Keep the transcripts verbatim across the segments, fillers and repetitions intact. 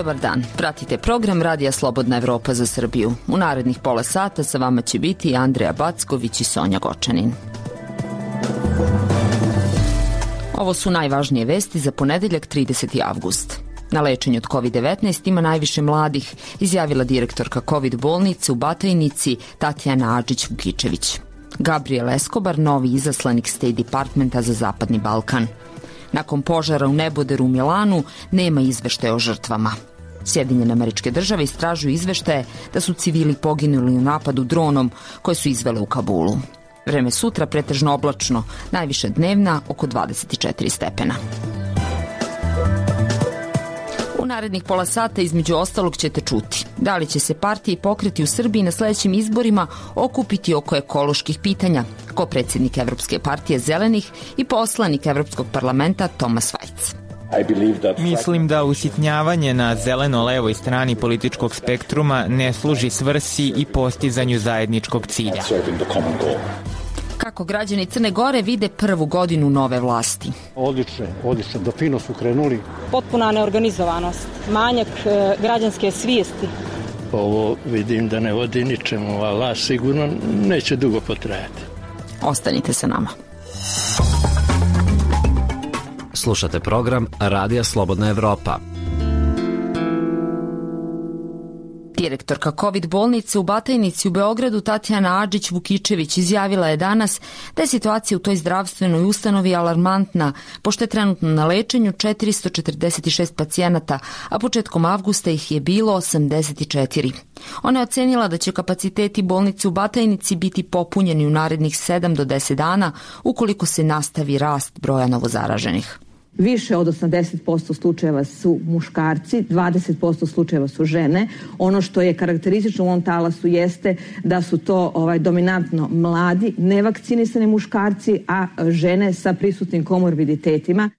Dobar dan, pratite program Radija Slobodna Evropa za Srbiju. U narednih pola sata sa vama će biti Andreja Backović i Sonja Gočanin. Ovo su najvažnije vesti za ponedeljak trideseti avgust. Na lečenju od kovid devetnaest ima najviše mladih, izjavila direktorka kovid bolnice u Batajnici Tatjana Adžić-Vukičević. Gabriel Escobar, novi izaslanik State Departmenta za Zapadni Balkan. Nakon požara u Neboderu u Milanu nema izveštaja o žrtvama. Sjedinjene Američke Države istražuju izveštaje da su civili poginuli u napadu dronom koje su izvele u Kabulu. Vreme sutra pretežno oblačno, najviše dnevna oko dvadeset četiri stepena. U narednih pola sata između ostalog ćete čuti da li će se partije i pokreti u Srbiji na sledećim izborima okupiti oko ekoloških pitanja, ko predsjednik Evropske partije Zelenih i poslanik Evropskog parlamenta Tomas Vajc. Mislim da usitnjavanje na zeleno-levoj strani političkog spektruma ne služi svrsi i postizanju zajedničkog cilja. Kako građani Crne Gore vide prvu godinu nove vlasti? Odlično, odlično, do fino su krenuli. Potpuna neorganizovanost, manjak e, građanske svijesti. Ovo vidim da ne vodi ničemu, a vlast sigurno neće dugo potrajati. Ostanite sa nama. Slušate program Radija Slobodna Evropa. Direktorka kovid bolnice u Batajnici u Beogradu Tatjana Adžić-Vukičević izjavila je danas da je situacija u toj zdravstvenoj ustanovi alarmantna, pošto je trenutno na lečenju četiristo četrdeset šest pacijenata, a početkom avgusta ih je bilo osamdeset četiri. Ona je ocenila da će kapaciteti bolnice u Batajnici biti popunjeni u narednih sedam do deset dana ukoliko se nastavi rast broja novozaraženih. Više od osamdeset posto slučajeva su muškarci, dvadeset posto slučajeva su žene. Ono što je karakteristično u ovom talasu jeste da su to ovaj, dominantno mladi, nevakcinisani muškarci, a žene sa prisutnim komorbiditetima.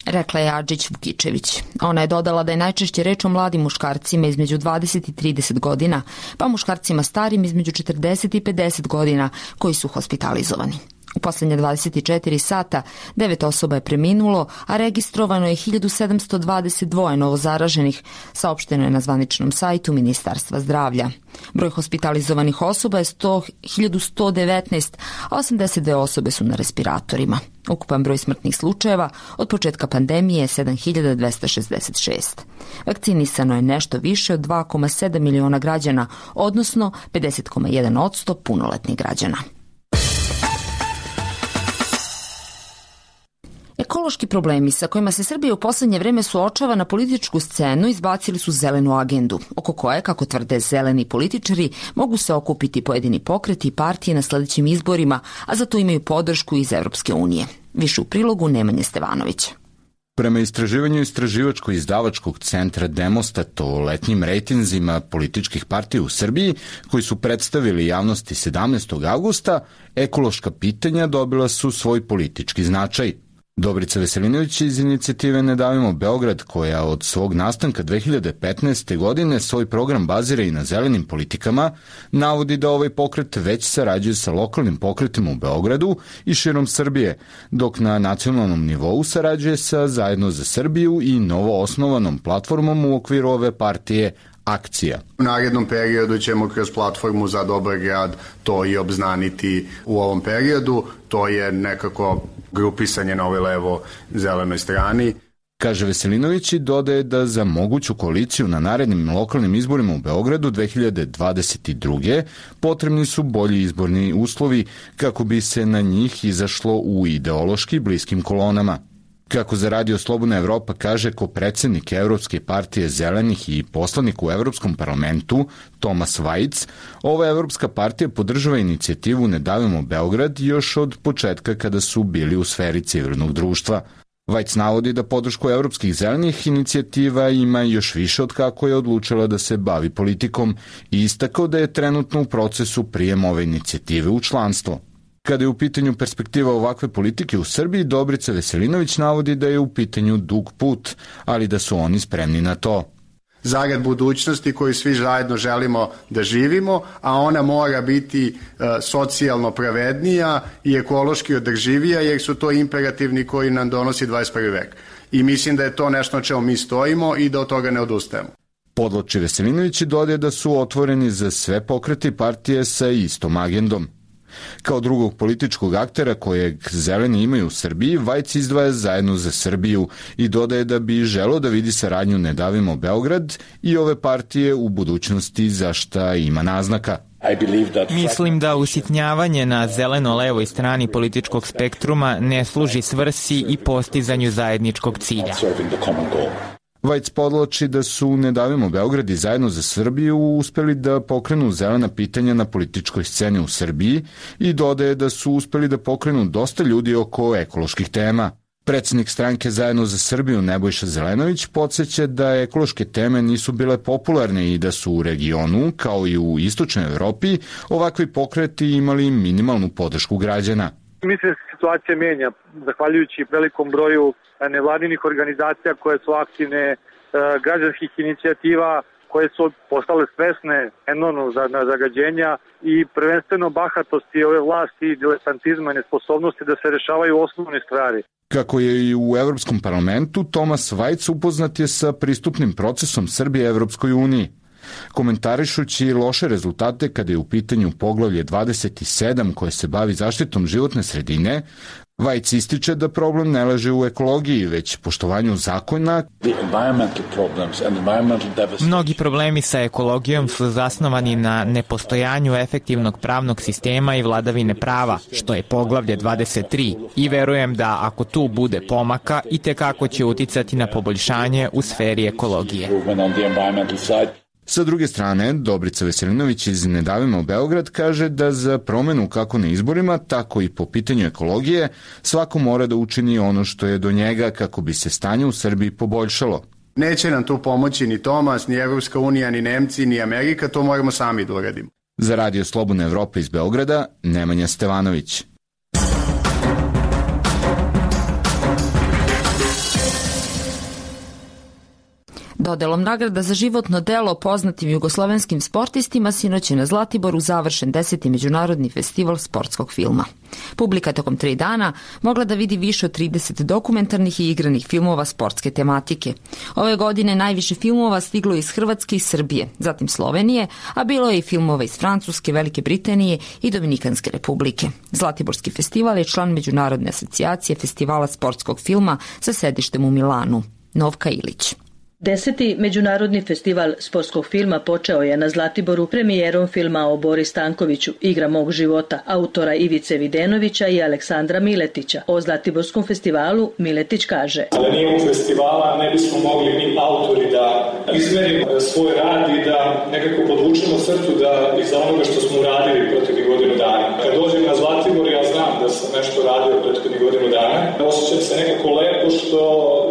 Rekla je Adžić-Vukičević. Ona je dodala da je najčešće reč o mladim muškarcima između dvadeset i trideset godina, pa muškarcima starim između četrdeset i pedeset godina koji su hospitalizovani. U posljednje dvadeset četiri sata devet osoba je preminulo, a registrovano je hiljadu sedamsto dvadeset dva novozaraženih, saopšteno je na zvaničnom sajtu Ministarstva zdravlja. Broj hospitalizovanih osoba je hiljadu sto devetnaest, a osamdeset dve osobe su na respiratorima. Ukupan broj smrtnih slučajeva od početka pandemije je sedam hiljada dvesta šezdeset šest. Vakcinisano je nešto više od dva zarez sedam miliona građana, odnosno pedeset zarez jedan posto punoletnih građana. Ekološki problemi sa kojima se Srbija u poslednje vreme suočava na političku scenu izbacili su zelenu agendu, oko koje, kako tvrde zeleni političari, mogu se okupiti pojedini pokreti i partije na sledećim izborima, a za to imaju podršku iz Evropske unije. Više u prilogu Nemanje Stevanovića. Prema istraživanju istraživačko-izdavačkog centra Demostat o letnjim rejtinzima političkih partija u Srbiji, koji su predstavili javnosti sedamnaestog avgusta, ekološka pitanja dobila su svoj politički značaj. Dobrica Veselinović iz inicijative Ne davimo Beograd, koja od svog nastanka dve hiljade petnaeste. godine svoj program bazira i na zelenim politikama, navodi da ovaj pokret već sarađuje sa lokalnim pokretima u Beogradu i širom Srbije, dok na nacionalnom nivou sarađuje sa Zajedno za Srbiju i novo osnovanom platformom u okviru ove partije Akcija. U narednom periodu ćemo kroz platformu za dobar grad to i obznaniti u ovom periodu. To je nekako grupisanje na ovoj levo-zelenoj strani. Kaže Veselinović i dodaje da za moguću koaliciju na narednim lokalnim izborima u Beogradu dve hiljade dvadeset druge. potrebni su bolji izborni uslovi kako bi se na njih izašlo u ideološki bliskim kolonama. Kako za Radio Slobodna Evropa kaže kopredsednik Evropske partije Zelenih i poslanik u Evropskom parlamentu Tomas Vajc, ova Evropska partija podržava inicijativu Ne davimo Beograd još od početka kada su bili u sferi civilnog društva. Vajc navodi da podršku Evropskih zelenih inicijativa ima još više od kako je odlučila da se bavi politikom i istakao da je trenutno u procesu prijem ove inicijative u članstvo. Kada je u pitanju perspektiva ovakve politike u Srbiji, Dobrica Veselinović navodi da je u pitanju dug put, ali da su oni spremni na to. Zarad budućnosti koju svi zajedno želimo da živimo, a ona mora biti uh, socijalno pravednija i ekološki održivija, jer su to imperativni koji nam donosi dvadeset prvi vek. I mislim da je to nešto na čemu mi stojimo i da od toga ne odustajemo. Podvlači Veselinović i dodaje da su otvoreni za sve pokreti partije sa istom agendom. Kao drugog političkog aktera kojeg zeleni imaju u Srbiji, Vajc izdvaja Zajedno za Srbiju i dodaje da bi želeo da vidi saradnju Ne davimo Beograd i ove partije u budućnosti za šta ima naznaka. Mislim da usitnjavanje na zeleno-levoj strani političkog spektruma ne služi svrsi i postizanju zajedničkog cilja. Vajc podlači da su Ne davimo Beograd i Zajedno za Srbiju uspeli da pokrenu zelena pitanja na političkoj sceni u Srbiji i dodaje da su uspeli da pokrenu dosta ljudi oko ekoloških tema. Predsednik stranke Zajedno za Srbiju Nebojša Zelenović podsjeća da ekološke teme nisu bile popularne i da su u regionu, kao i u istočnoj Evropi, ovakvi pokreti imali minimalnu podršku građana. Mislim da se situacija menja, zahvaljujući velikom broju nevladinih organizacija koje su aktivne, građanskih inicijativa koje su postale svesne enormnog zagađenja i prvenstveno bahatosti ove vlasti i diletantizma i nesposobnosti da se rešavaju osnovne stvari. Kako je i u Evropskom parlamentu, Tomas Vajc upoznat je sa pristupnim procesom Srbije Evropskoj uniji. Komentarišući loše rezultate kada je u pitanju poglavlje dvadeset sedam koje se bavi zaštitom životne sredine, Vajc ističe da problem ne leži u ekologiji, već poštovanju zakona. Mnogi problemi sa ekologijom su zasnovani na nepostojanju efektivnog pravnog sistema i vladavine prava, što je poglavlje dvadeset tri, i verujem da ako tu bude pomaka, i tekako će uticati na poboljšanje u sferi ekologije. Sa druge strane, Dobrica Veselinović iz Ne davimo Beograd kaže da za promenu kako na izborima, tako i po pitanju ekologije, svako mora da učini ono što je do njega kako bi se stanje u Srbiji poboljšalo. Neće nam tu pomoći ni Tomas, ni Evropska unija, ni Nemci, ni Amerika, to moramo sami da uradimo. Za Radio Slobodna Evropa iz Beograda, Nemanja Stevanović. Dodelom nagrada za životno delo poznatim jugoslovenskim sportistima sinoć je na Zlatiboru završen deseti međunarodni festival sportskog filma. Publika tokom tri dana mogla da vidi više od trideset dokumentarnih i igranih filmova sportske tematike. Ove godine najviše filmova stiglo iz Hrvatske i Srbije, zatim Slovenije, a bilo je i filmova iz Francuske, Velike Britanije i Dominikanske republike. Zlatiborski festival je član Međunarodne asocijacije festivala sportskog filma sa sedištem u Milanu. Novka Ilić. Deseti međunarodni festival sportskog filma počeo je na Zlatiboru premijerom filma o Bori Stankoviću, Igra mog života, autora Ivice Videnovića i Aleksandra Miletića. O Zlatiborskom festivalu Miletić kaže: Da nije ovog festivala ne bismo mogli mi autori da izmerimo svoj rad i da nekako podvučemo crtu da iza onoga što smo uradili proteklih godinu dana. Kad dođem na Zlatibor, ja znam da sam nešto radio proteklih godinu dana. Osjećam se nekako lepo što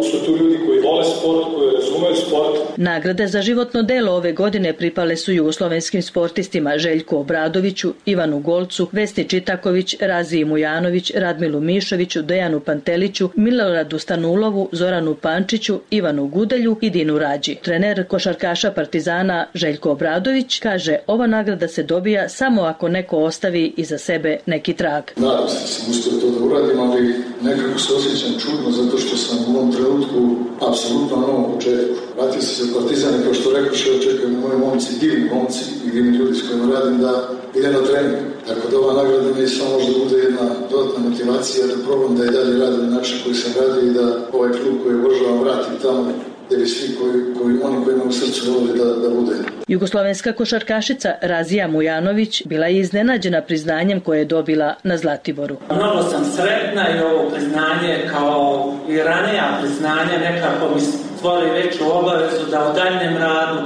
su tu ljudi koji vole sport, koji razumeju sport. Nagrade za životno delo ove godine pripale su jugoslovenskim sportistima Željku Obradoviću, Ivanu Golcu, Vesni Čitaković, Raziji Mujanović, Radmilu Mišoviću, Dejanu Panteliću, Miloradu Stanulovu, Zoranu Pančiću, Ivanu Gudelju i Dinu Rađi. Trener košarkaša Partizana Željko Obradović kaže: ova nagrada se dobija samo ako neko ostavi iza sebe neki trag. Nadam se da sam uspio to da uradim, ali nekako se osjećam čudno zato što sam u ovom trenutku apsolutno na novom početku. Vratio sam se Partizane, kao što rekao, što očekujem moji momci, divni momci i divni ljudi s kojima radim da idem na trening. Tako da ova nagrada mi samo možda bude jedna dodatna motivacija da probam da i dalje radim na način koji sam radio i da ovaj klub koji obožavam vratim tamo gdje bi svi koji, koji, oni koji imaju u srcu volili da, da bude. Jugoslovenska košarkašica Razija Mujanović bila je iznenađena priznanjem koje je dobila na Zlatiboru. Mnogo sam sretna i ovo priznanje kao i ranija priznanja nekako mi stvori veću obavezu da u daljnjem radu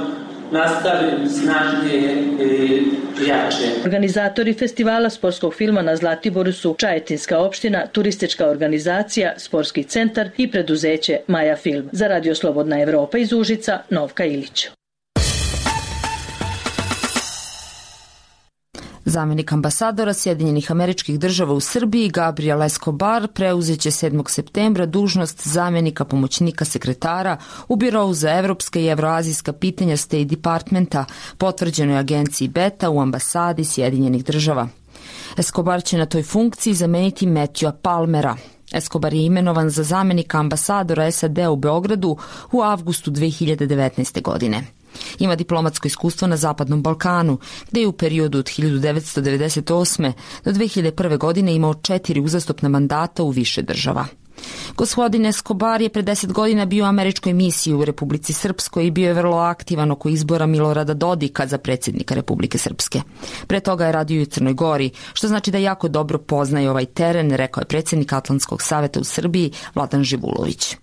nastavim snažnije i jače. Organizatori festivala sportskog filma na Zlatiboru su Čajetinska opština, turistička organizacija, sportski centar i preduzeće Maja Film. Za Radio Slobodna Evropa iz Užica, Novka Ilić. Zamenik ambasadora Sjedinjenih Američkih Država u Srbiji Gabriel Escobar preuzeće sedmog septembra dužnost zamenika pomoćnika sekretara u Birou za evropska i evroazijska pitanja State Departmenta, potvrđenoj agenciji Beta u ambasadi Sjedinjenih Država. Escobar će na toj funkciji zameniti Matthewa Palmera. Escobar je imenovan za zamenika ambasadora S A D u Beogradu u avgustu dve hiljade devetnaeste. godine. Ima diplomatsko iskustvo na Zapadnom Balkanu, gde je u periodu od hiljadu devetsto devedeset osme. do dve hiljade prve. godine imao četiri uzastopna mandata u više država. Gospodin Escobar je pre deset godina bio u američkoj misiji u Republici Srpskoj i bio je vrlo aktivan oko izbora Milorada Dodika za predsjednika Republike Srpske. Pre toga je radio i u Crnoj Gori, što znači da jako dobro poznaje ovaj teren, rekao je predsjednik Atlantskog saveta u Srbiji Vladan Živulović.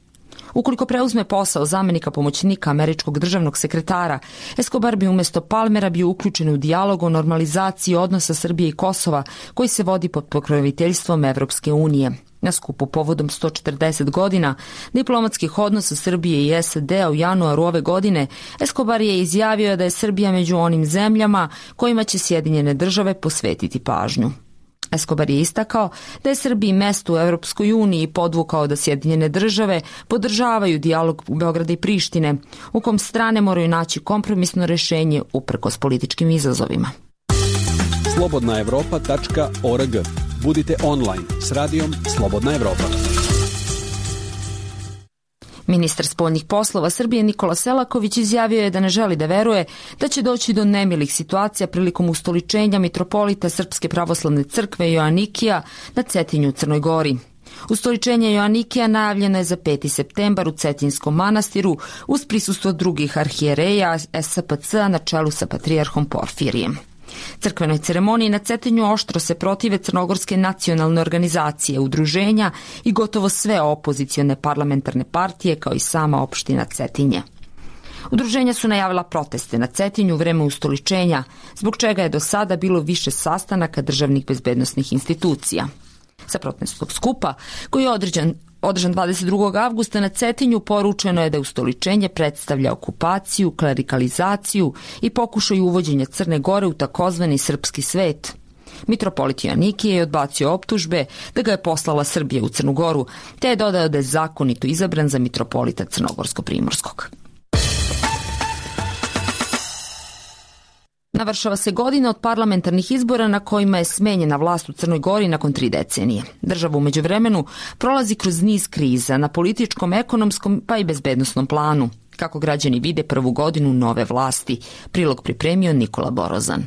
Ukoliko preuzme posao zamenika pomoćnika američkog državnog sekretara, Escobar bi umjesto Palmera bio uključen u dijalog o normalizaciji odnosa Srbije i Kosova koji se vodi pod pokroviteljstvom Evropske unije. Na skupu povodom sto četrdeset godina diplomatskih odnosa Srbije i S A D-a u januaru ove godine, Escobar je izjavio da je Srbija među onim zemljama kojima će Sjedinjene države posvetiti pažnju. Escobar je istakao da je Srbiji mesto u Evropskoj uniji i podvukao da Sjedinjene države podržavaju dijalog Beograda i Prištine, u kom strane moraju naći kompromisno rešenje uprkos političkim izazovima. slobodna evropa tačka org. Budite online s radijom Slobodna Evropa. Ministar spoljnih poslova Srbije Nikola Selaković izjavio je da ne želi da veruje da će doći do nemilih situacija prilikom ustoličenja mitropolita Srpske pravoslavne crkve Joanikija na Cetinju u Crnoj Gori. Ustoličenje Joanikija najavljeno je za peti septembar u Cetinskom manastiru uz prisustvo drugih arhijereja S P C-a na čelu sa patrijarhom Porfirijem. Crkvenoj ceremoniji na Cetinju oštro se protive crnogorske nacionalne organizacije, udruženja i gotovo sve opozicione parlamentarne partije kao i sama opština Cetinje. Udruženja su najavila proteste na Cetinju u vreme ustoličenja, zbog čega je do sada bilo više sastanaka državnih bezbednosnih institucija. Sa protestnog skupa, koji je određen Održan dvadeset drugog avgusta na Cetinju, poručeno je da ustoličenje predstavlja okupaciju, klerikalizaciju i pokušaj uvođenja Crne Gore u takozvani srpski svet. Mitropolit Joanikije je odbacio optužbe da ga je poslala Srbija u Crnu Goru, te je dodao da je zakonito izabran za mitropolita Crnogorsko-Primorskog. Navršava se godina od parlamentarnih izbora na kojima je smenjena vlast u Crnoj Gori nakon tri decenije. Država u međuvremenu prolazi kroz niz kriza na političkom, ekonomskom pa i bezbednosnom planu. Kako građani vide prvu godinu nove vlasti, prilog pripremio Nikola Borozan.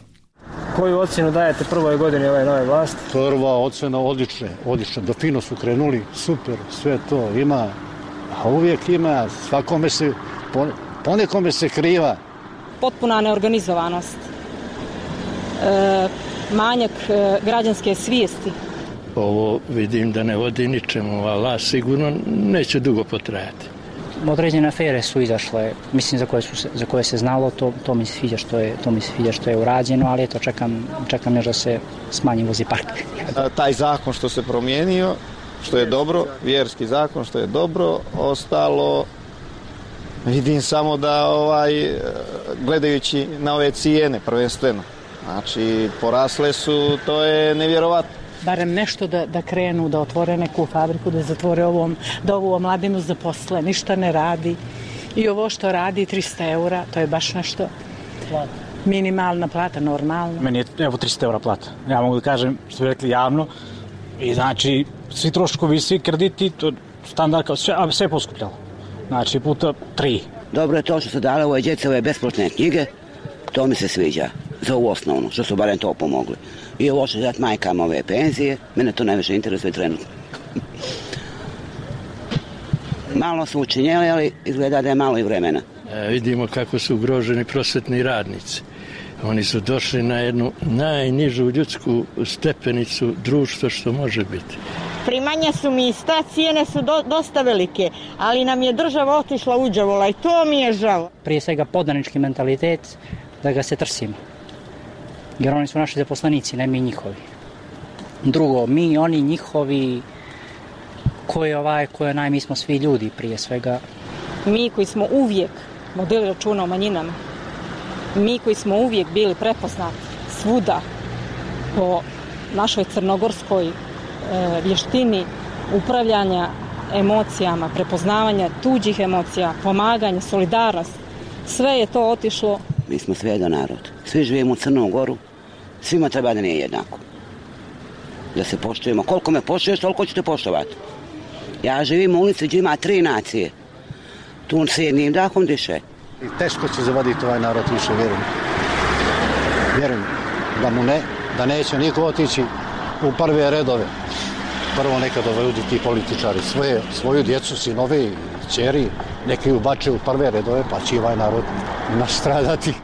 Koju ocjenu dajete prvoj godini ove nove vlasti? Prva ocjena odlične, odlične. Do fino su krenuli, super, sve to ima, a uvijek ima, svakome se, ponekome se kriva. Potpuna neorganizovanost, e, manjak e, građanske svijesti. Ovo vidim da ne vodi ničemu, ali sigurno neće dugo potrajati. Određene afere su izašle, mislim za koje, su, za koje se znalo, to, to mi se sviđa što je, to mi se sviđa što je urađeno, ali eto čekam, čekam još da se smanji vozi park. Taj zakon što se promijenio, što je dobro, vjerski zakon što je dobro, ostalo vidim samo da ovaj gledajući na ove cijene prvenstveno, znači porasle su, to je nevjerovatno. Barem nešto da, da krenu, da otvore neku fabriku, da zatvore ovom, da ovu mladinu zaposle, ništa ne radi. I ovo što radi trista eura, to je baš nešto minimalna plata, normalno. Meni je evo trista eura plata. Ja mogu da kažem, što bi rekli javno, i znači svi troškovi, svi krediti, to standard kao sve, a sve je poskupljalo. Znači puta tri. Dobro je to što su dale ove djece, ove besplatne knjige, to mi se sviđa, za ovu osnovnu, što su barem to pomogli. I ovo što dati majkama ove penzije, mene to najviše interesuje trenutno. Malo su učinjeli, ali izgleda da je malo i vremena. E, vidimo kako su ugroženi prosvetni radnici. Oni su došli na jednu najnižu ljudsku stepenicu društva što može biti. Primanja su mi ista, cijene su do, dosta velike, ali nam je država otišla uđavola i to mi je žao. Prije svega podanički mentalitet, da ga se trsimo. Jer oni su naši zaposlenici, ne mi njihovi. Drugo, mi, oni, njihovi, ko je ovaj, ko je naj, mi smo svi ljudi prije svega. Mi koji smo uvijek vodili računa o manjinama, mi koji smo uvijek bili prepoznati svuda po našoj crnogorskoj e, vještini upravljanja emocijama, prepoznavanja tuđih emocija, pomaganja, solidarnost, sve je to otišlo. Mi smo sve jedan narod. Svi živimo u Crnom Goru, svima treba da nije jednako. Da se poštujemo. Koliko me poštuješ, toliko ćete poštovati. Ja živim u ulici gdje ima tri nacije. Tu se jednim dahom diše. I teško će zavaditi ovaj narod više, vjerujem. Vjerujem da mu ne, da neće niko otići u prve redove. Prvo neka dovedu ti političari svoje, svoju djecu, sinove i ćeri, neka ju bače u prve redove, pa će ovaj narod nastradati.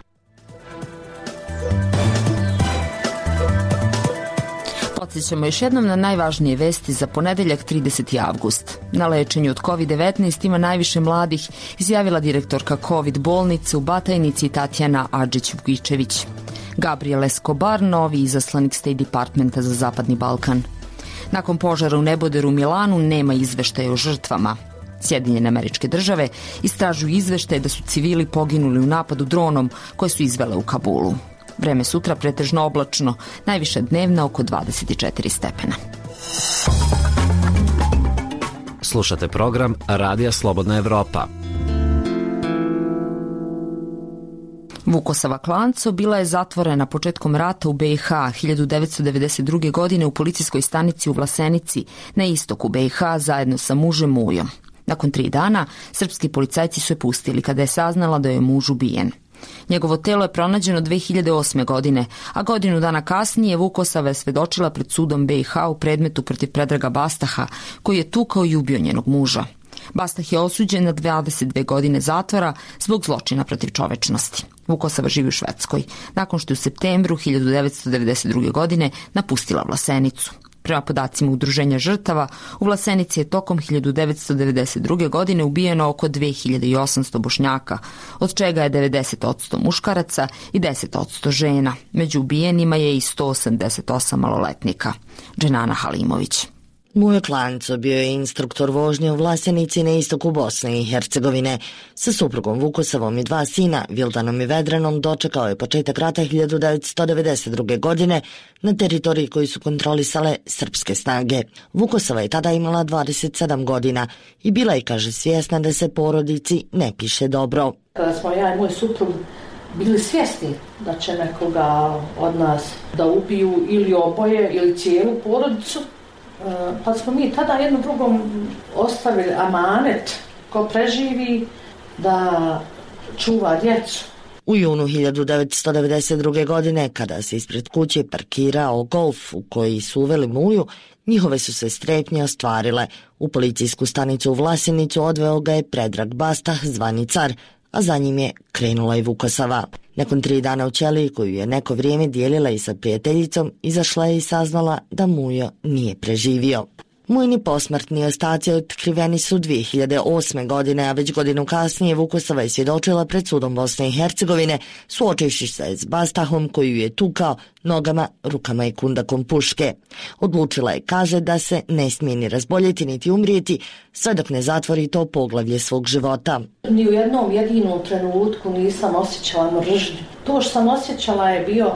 Podsjećamo još jednom na najvažnije vesti za ponedeljak trideseti avgust. Na lečenju od kovid devetnaest ima najviše mladih, izjavila direktorka COVID bolnice u Batajnici Tatjana Adžić-Vukičević. Gabriel Escobar, novi izaslanik State Departmenta za Zapadni Balkan. Nakon požara u neboderu u Milanu nema izveštaja o žrtvama. Sjedinjene Američke Države istražuju izveštaje da su civili poginuli u napadu dronom koje su izvele u Kabulu. Vreme sutra pretežno oblačno, najviša dnevna oko dvadeset četiri stepena. Slušate program Radija Slobodna Evropa. Vukosava Klanco bila je zatvorena početkom rata u be i ha hiljadu devetsto devedeset druge. godine u policijskoj stanici u Vlasenici na istoku be i ha zajedno sa mužem Mujom. Nakon tri dana, srpski policajci su je pustili kada je saznala da je muž ubijen. Njegovo telo je pronađeno dve hiljade osme. godine, a godinu dana kasnije Vukosava je svedočila pred sudom be i ha u predmetu protiv Predraga Bastaha, koji je tukao i ubio njenog muža. Bastah je osuđen na dvadeset dve godine zatvora zbog zločina protiv čovečnosti. Vukosava živi u Švedskoj, nakon što je u septembru hiljadu devetsto devedeset druge. godine napustila Vlasenicu. Prema podacima Udruženja žrtava, u Vlasenici je tokom hiljadu devetsto devedeset druge. godine ubijeno oko dve hiljade osamsto Bošnjaka, od čega je devedeset posto muškaraca i deset posto žena. Među ubijenima je i sto osamdeset osam maloletnika. Dženana Halimović. Mujo Klanco bio je instruktor vožnje u Vlasenici na istoku Bosne i Hercegovine. Sa suprugom Vukosavom i dva sina, Vildanom i Vedranom, dočekao je početak rata hiljadu devetsto devedeset druge. godine na teritoriji koju su kontrolisale srpske snage. Vukosava je tada imala dvadeset sedam godina i bila je, kaže, svjesna da se porodici ne piše dobro. Kada smo ja i moj suprug bili svjesni da će nekoga od nas da ubiju ili oboje ili cijelu porodicu, pa smo mi tada jednom drugom ostavili amanet ko preživi da čuva djecu. U junu hiljadu devetsto devedeset druge. godine, kada se ispred kuće parkirao Golf u koji su uveli Muju, njihove su se strepnje ostvarile. U policijsku stanicu u Vlasenicu odveo ga je Predrag Bastah, zvani car, a za njim je krenula i Vukosava. Nakon tri dana u ćeliji, koju je neko vrijeme dijelila i sa prijateljicom, izašla je i saznala da Mujo nije preživio. Mujini posmrtni ostaci otkriveni su dvije hiljade osme. godine, a već godinu kasnije Vukosava je svjedočila pred sudom Bosne i Hercegovine, suočivši se s Bastahom koju je tukao nogama, rukama i kundakom puške. Odlučila je, kaže, da se ne smije ni razboljeti niti umrijeti sve dok ne zatvori to poglavlje svog života. Ni u jednom jedinom trenutku nisam osjećala mržnju. To što sam osjećala je bio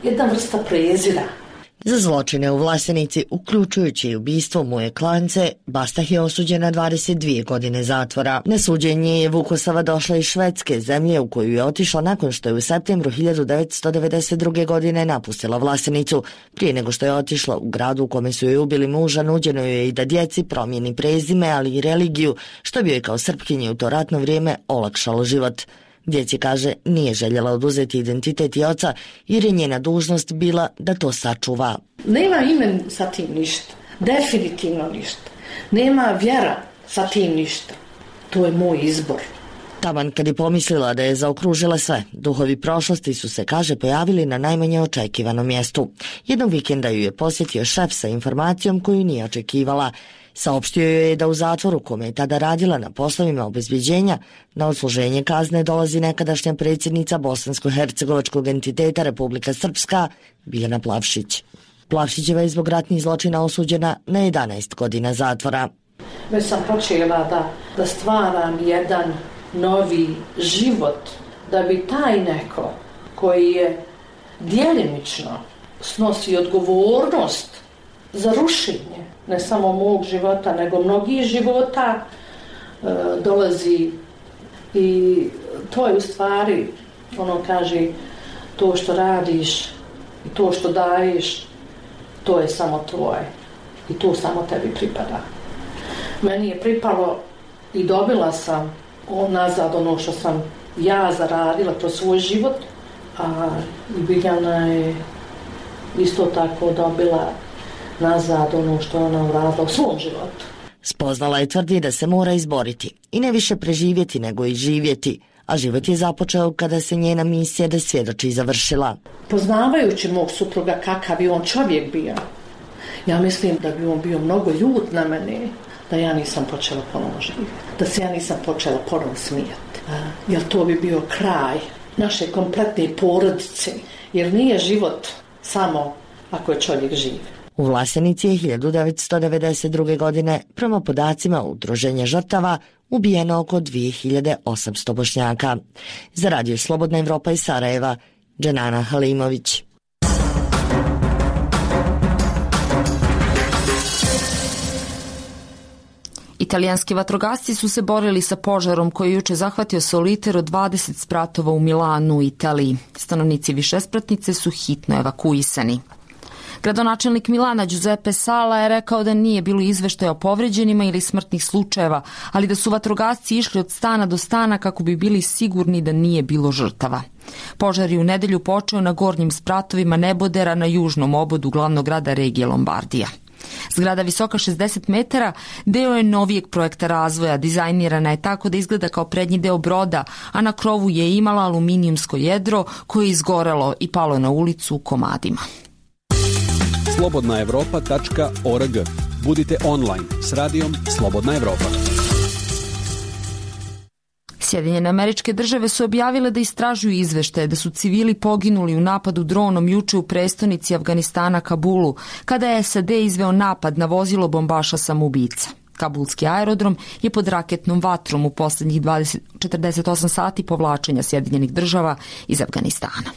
jedna vrsta prezira. Za zločine u Vlasenici, uključujući i ubistvo Muje Klance, Bastah je osuđen na dvadeset dvije godine zatvora. Na suđenje je Vukosava došla iz Švedske, zemlje u koju je otišla nakon što je u septembru hiljadu devetsto devedeset druge. godine napustila Vlasenicu. Prije nego što je otišla u gradu u kome su joj ubili muža, nuđeno joj je i da djeci promijeni prezime, ali i religiju, što bi joj kao Srpkinji u to ratno vrijeme olakšalo život. Djeci, kaže, nije željela oduzeti identitet i oca jer je njena dužnost bila da to sačuva. Nema ime sa tim ništa, definitivno ništa. Nema vjera sa tim ništa. To je moj izbor. Taman kad je pomislila da je zaokružila sve, duhovi prošlosti su se, kaže, pojavili na najmanje očekivanom mjestu. Jednog vikenda ju je posjetio šef sa informacijom koju nije očekivala. Saopštio joj je da u zatvoru, kome je tada radila na poslovima obezbeđenja, na odsluženje kazne dolazi nekadašnja predsjednica bosansko-hercegovačkog entiteta Republika Srpska, Biljana Plavšić. Plavšićeva je zbog ratnih zločina osuđena na jedanaest godina zatvora. Već sam počela da, da stvaram jedan novi život, da bi taj neko koji je djelimično snosi odgovornost za rušenje ne samo mog života, nego mnogih života, e, dolazi i to je u stvari, ono kaže, to što radiš i to što daješ, to je samo tvoje i to samo tebi pripada. Meni je pripalo i dobila sam nazad ono što sam ja zaradila kroz svoj život, a Biljana je isto tako dobila nazad ono što ona uradila u svom životu. Spoznala je tvrdi da se mora izboriti i ne više preživjeti nego i živjeti, a život je započeo kada se njena misija da svjedoči završila. Poznavajući mog supruga kakav je on čovjek bio, ja mislim da bi on bio mnogo ljut na mene, da ja nisam počela ponovo živjeti, da se ja nisam počela ponovo smijati. Jer to bi bio kraj naše kompletne porodice, jer nije život samo ako je čovjek živ. U Vlasenici je hiljadu devetsto devedeset druge. godine, prema podacima Udruženja žrtava, ubijeno oko dvije hiljade osamsto Bošnjaka. Za Radio Slobodna Evropa iz Sarajeva, Dženana Halimović. Italijanski vatrogasci su se borili sa požarom koji je juče zahvatio Soliter od dvadeset spratova u Milanu, Italiji. Stanovnici višespratnice su hitno evakuisani. Gradonačelnik Milana Giuseppe Sala je rekao da nije bilo izveštaja o povređenima ili smrtnih slučajeva, ali da su vatrogasci išli od stana do stana kako bi bili sigurni da nije bilo žrtava. Požar je u nedelju počeo na gornjim spratovima Nebodera na južnom obodu glavnog grada regije Lombardija. Zgrada visoka šezdeset metara deo je novijeg projekta razvoja, dizajnirana je tako da izgleda kao prednji deo broda, a na krovu je imala aluminijumsko jedro koje je izgorelo i palo na ulicu u komadima. slobodna evropa tačka org. Budite online s radijom Slobodna Evropa. Sjedinjene Američke Države su objavile da istražuju izveštaje da su civili poginuli u napadu dronom juče u prestonici Afganistana Kabulu, kada je S A D izveo napad na vozilo bombaša samoubica. Kabulski aerodrom je pod raketnom vatrom u poslednjih četrdeset osam sati povlačenja Sjedinjenih Država iz Afganistana.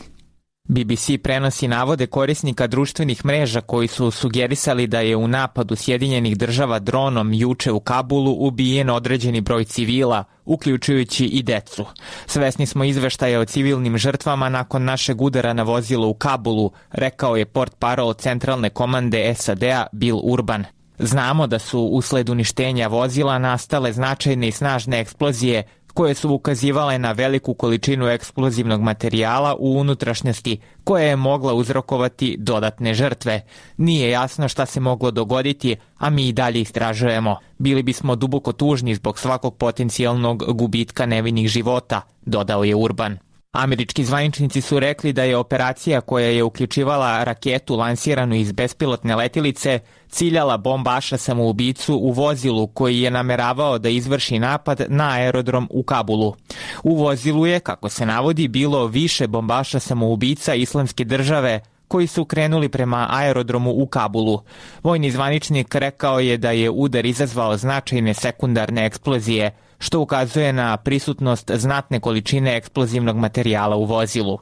B B C prenosi navode korisnika društvenih mreža koji su sugerisali da je u napadu Sjedinjenih Država dronom juče u Kabulu ubijen određeni broj civila, uključujući i decu. Svesni smo izveštaja o civilnim žrtvama nakon našeg udara na vozilo u Kabulu, rekao je portparol centralne komande S A D-a Bill Urban. Znamo da su usled uništenja vozila nastale značajne i snažne eksplozije koje su ukazivale na veliku količinu eksplozivnog materijala u unutrašnjosti koja je mogla uzrokovati dodatne žrtve. Nije jasno šta se moglo dogoditi, a mi i dalje istražujemo. Bili bismo duboko tužni zbog svakog potencijalnog gubitka nevinih života, dodao je Urban. Američki zvaničnici su rekli da je operacija koja je uključivala raketu lansiranu iz bespilotne letilice ciljala bombaša samoubicu u vozilu koji je nameravao da izvrši napad na aerodrom u Kabulu. U vozilu je, kako se navodi, bilo više bombaša samoubica Islamske države koji su krenuli prema aerodromu u Kabulu. Vojni zvaničnik rekao je da je udar izazvao značajne sekundarne eksplozije, što ukazuje na prisutnost znatne količine eksplozivnog materijala u vozilu.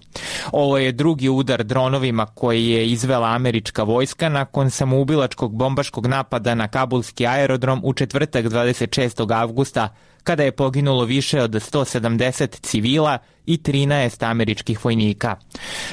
Ovo je drugi udar dronovima koji je izvela američka vojska nakon samoubilačkog bombaškog napada na kabulski aerodrom u četvrtak dvadeset šestog avgusta, kada je poginulo više od sto sedamdeset civila i trinaest američkih vojnika.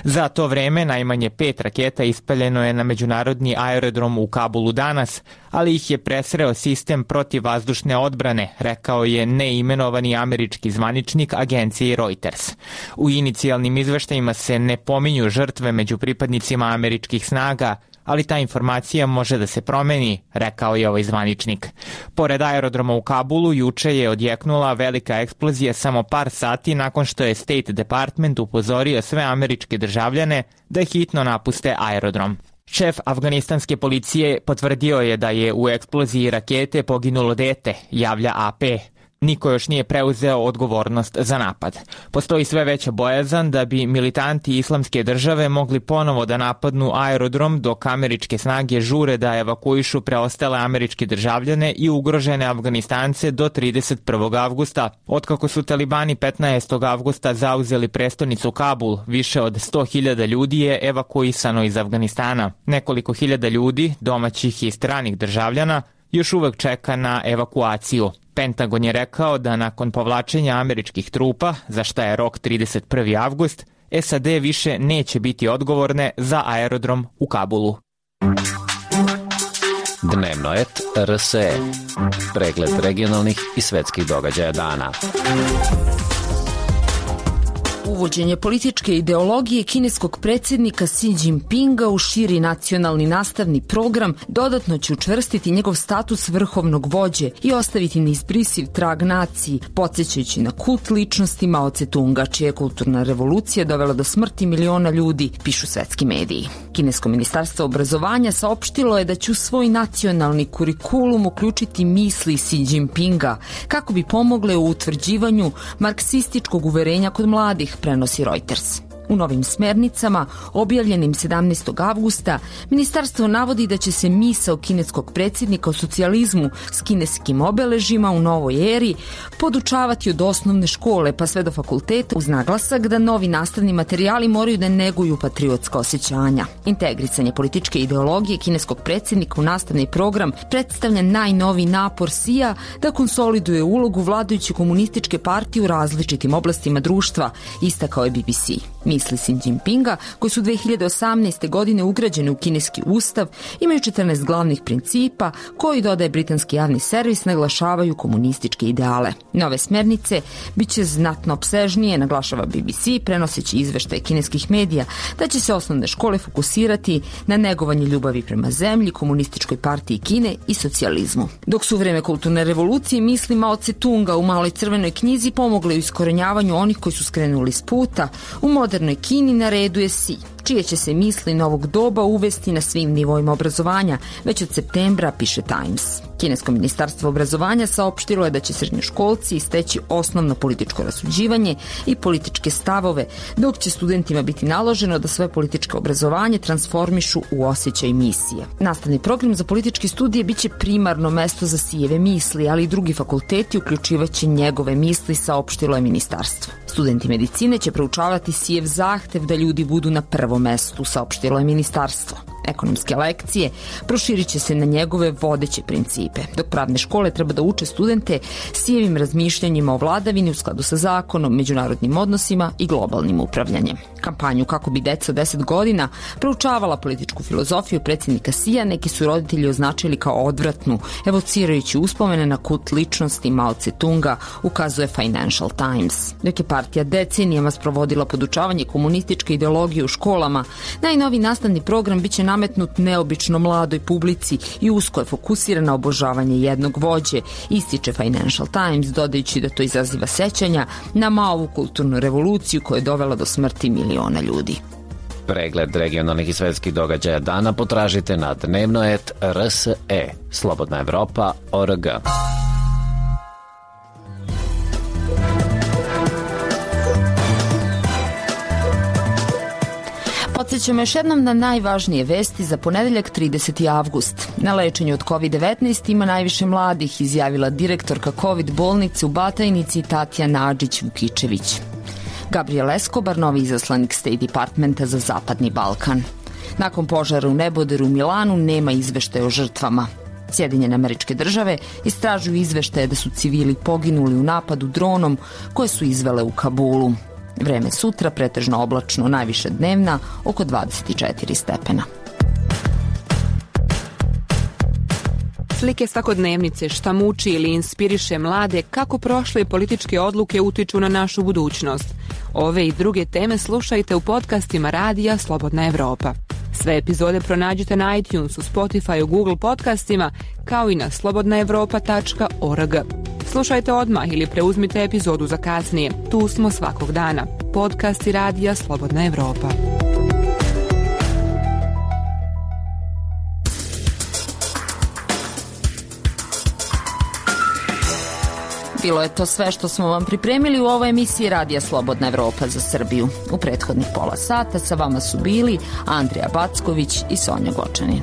Za to vreme najmanje pet raketa ispaljeno je na međunarodni aerodrom u Kabulu danas, ali ih je presreo sistem protivvazdušne odbrane, rekao je neimenovani američki zvaničnik agencije Reuters. U inicijalnim izveštajima se ne pominju žrtve među pripadnicima američkih snaga, ali ta informacija može da se promeni, rekao je ovaj zvaničnik. Pored aerodroma u Kabulu, juče je odjeknula velika eksplozija samo par sati nakon što je State Department upozorio sve američke državljane da hitno napuste aerodrom. Šef afganistanske policije potvrdio je da je u eksploziji rakete poginulo dete, javlja A P. Niko još nije preuzeo odgovornost za napad. Postoji sve veća bojazan da bi militanti Islamske države mogli ponovo da napadnu aerodrom dok američke snage žure da evakuišu preostale američke državljane i ugrožene Afganistance do trideset prvog avgusta. Otkako su talibani petnaestog avgusta zauzeli prestonicu Kabul, više od sto hiljada ljudi je evakuisano iz Afganistana. Nekoliko hiljada ljudi, domaćih i stranih državljana, još uvek čeka na evakuaciju. Pentagon je rekao da nakon povlačenja američkih trupa, za šta je rok trideset prvi avgust, S A D više neće biti odgovorne za aerodrom u Kabulu. Dnevnoet R S E. Pregled regionalnih i svetskih događaja dana. Uvođenje političke ideologije kineskog predsjednika Xi Jinpinga u širi nacionalni nastavni program dodatno će učvrstiti njegov status vrhovnog vođe i ostaviti neizbrisiv trag naciji, podsjećajući na kult ličnosti Mao Tse-tunga, čija je kulturna revolucija dovela do smrti miliona ljudi, pišu svetski mediji. Kinesko ministarstvo obrazovanja saopštilo je da će u svoj nacionalni kurikulum uključiti misli Xi Jinpinga kako bi pomogle u utvrđivanju marksističkog uverenja kod mladih, prenosi Reuters. U novim smernicama, objavljenim sedamnaestog avgusta, ministarstvo navodi da će se misao kineskog predsjednika o socijalizmu s kineskim obeležima u novoj eri podučavati od osnovne škole pa sve do fakulteta, uz naglasak da novi nastavni materijali moraju da neguju patriotska osjećanja. Integrisanje političke ideologije kineskog predsjednika u nastavni program predstavlja najnoviji napor Xija da konsoliduje ulogu vladajuće komunističke partije u različitim oblastima društva, istakao je B B C. Misli Xi Jinpinga, koji su dve hiljade osamnaeste. godine ugrađene u kineski ustav, imaju četrnaest glavnih principa koji, dodaje britanski javni servis, naglašavaju komunističke ideale. Nove smernice biće znatno opsežnije, naglašava B B C, prenoseći izveštaje kineskih medija, da će se osnovne škole fokusirati na negovanje ljubavi prema zemlji, komunističkoj partiji Kine i socijalizmu. Dok su u vreme kulturne revolucije misli Mao Tse-tunga u Maloj crvenoj knjizi pomogle u iskorenjavanju onih koji su skrenuli s puta, u modernoj Kini na redu je Xi, čije će se misli novog doba uvesti na svim nivoima obrazovanja, već od septembra, piše Times. Kinesko ministarstvo obrazovanja saopštilo je da će srednjoškolci steći osnovno političko rasuđivanje i političke stavove, dok će studentima biti naloženo da svoje političko obrazovanje transformišu u osjećaj misije. Nastavni program za političke studije biće primarno mesto za Xijeve misli, ali i drugi fakulteti uključivaće njegove misli, saopštilo je ministarstvo. Studenti medicine će proučavati Xijev zahtev da ljudi budu na prvom mestu, saopštilo je ministarstvo. Ekonomske lekcije proširit će se na njegove vodeće principe, dok pravne škole treba da uče studente Xijevim razmišljanjima o vladavini u skladu sa zakonom, međunarodnim odnosima i globalnim upravljanjem. Kampanju kako bi deca od deset godina proučavala političku filozofiju predsjednika Xija neki su roditelji označili kao odvratnu, evocirajući uspomene na kult ličnosti Mao Tse-tunga, ukazuje Financial Times. Dok je partija decenijama sprovodila podučavanje komunističke ideologije u školama, najnoviji nastavni program biće nametnut neobično mladoj publici i usko je fokusiran na obožavanje jednog vođe, ističe Financial Times, dodajući da to izaziva sećanja na Maovu kulturnu revoluciju koja je dovela do smrti miliona ljudi. Pregled regionalnih i svetskih događaja dana potražite na dnevno et r s e, slobodna evropa точка org. Podsjećamo još jednom na najvažnije vesti za ponedeljak trideseti avgust. Na lečenju od kovid devetnaest ima najviše mladih, izjavila direktorka COVID bolnice u Batajnici Tatjana Adžić-Vukičević. Gabriel Escobar, novi izaslanik State Departmenta za Zapadni Balkan. Nakon požara u neboderu u Milanu nema izveštaja o žrtvama. Sjedinjene Američke Države istražuju izveštaje da su civili poginuli u napadu dronom koje su izvele u Kabulu. Vreme sutra pretežno oblačno, najviše dnevna, oko dvadeset četiri stepena. Slike svakodnevnice, šta muči ili inspiriše mlade, kako prošle političke odluke utiču na našu budućnost. Ove i druge teme slušajte u podcastima radija Slobodna Evropa. Sve epizode pronađite na iTunesu, Spotifyu, Google podcastima, kao i na slobodna evropa tačka org. Slušajte odmah ili preuzmite epizodu za kasnije. Tu smo svakog dana. Podcasti radija Slobodna Evropa. Bilo je to sve što smo vam pripremili u ovoj emisiji Radija Slobodna Evropa za Srbiju. U prethodnih pola sata sa vama su bili Andrija Backović i Sonja Gočanin.